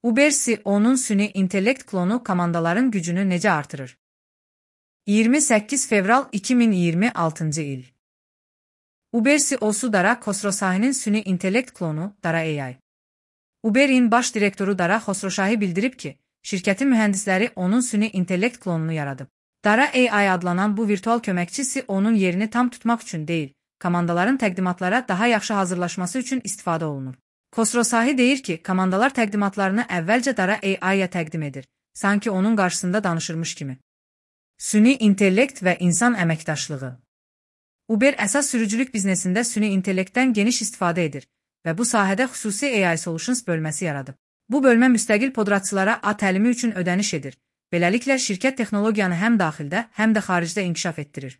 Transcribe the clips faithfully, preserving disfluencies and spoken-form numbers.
Uber C E O'nun süni intellekt klonu komandaların gücünü necə artırır? iyirmi səkkiz fevral iki min iyirmi altıncı il. Uber C E O'su Dara Khosrowshahi'nin süni intellekt klonu Dara A I. Uber'in baş direktoru Dara Khosrowshahi bildirib ki, şirkətin mühəndisləri onun süni intellekt klonunu yaradıb. Dara A I adlanan bu virtual köməkçi C E O'nun yerini tam tutmaq üçün deyil, komandaların təqdimatlara daha yaxşı hazırlaşması üçün istifadə olunur. Khosrowshahi deyir ki, komandalar təqdimatlarını əvvəlcə Dara A I-ya təqdim edir, sanki onun qarşısında danışırmış kimi. Süni intellekt və insan əməkdaşlığı. Uber əsas sürücülük biznesində süni intellektdən geniş istifadə edir və bu sahədə xüsusi A I Solutions bölməsi yaradıb. Bu bölmə müstəqil podratçılara A təlimi üçün ödəniş edir. Beləliklə, şirkət texnologiyanı həm daxildə, həm də xaricdə inkişaf etdirir.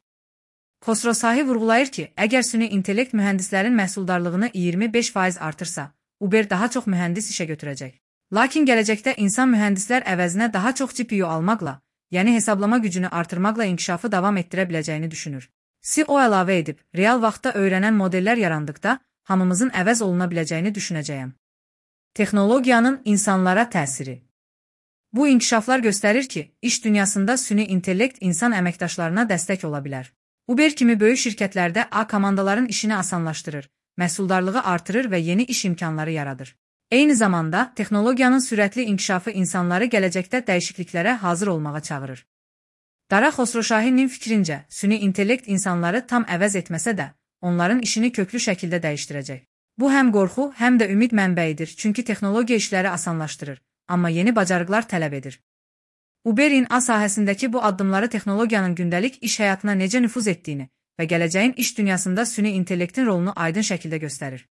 Khosrowshahi vurğulayır ki, əgər süni intellekt mühəndislərin məhsuldarlığını iyirmi beş faiz artırsa, Uber daha çox mühəndis işə götürəcək. Lakin gələcəkdə insan mühəndislər əvəzinə daha çox G P U almaqla, yəni hesablama gücünü artırmaqla inkişafı davam etdirə biləcəyini düşünür. C E O əlavə edib, real vaxtda öyrənən modellər yarandıqda, hamımızın əvəz oluna biləcəyini düşünəcəyəm. Texnologiyanın insanlara təsiri. Bu inkişaflar göstərir ki, iş dünyasında süni intellekt insan əməkdaşlarına dəstək ola bilər. Uber kimi böyük şirkətlərdə A komandaların işini asanlaşdırır, məhsuldarlığı artırır və yeni iş imkanları yaradır. Eyni zamanda, texnologiyanın sürətli inkişafı insanları gələcəkdə dəyişikliklərə hazır olmağa çağırır. Dara Khosrowshahi'nin fikrincə, süni intellekt insanları tam əvəz etməsə də, onların işini köklü şəkildə dəyişdirəcək. Bu həm qorxu, həm də ümid mənbəyidir, çünki texnologiya işləri asanlaşdırır, amma yeni bacarıqlar tələb edir. Uber'in A sahəsindəki bu addımları texnologiyanın gündəlik iş həyatına necə nüfuz etdiyini və gələcəyin iş dünyasında süni intellektin rolunu aydın şəkildə göstərir.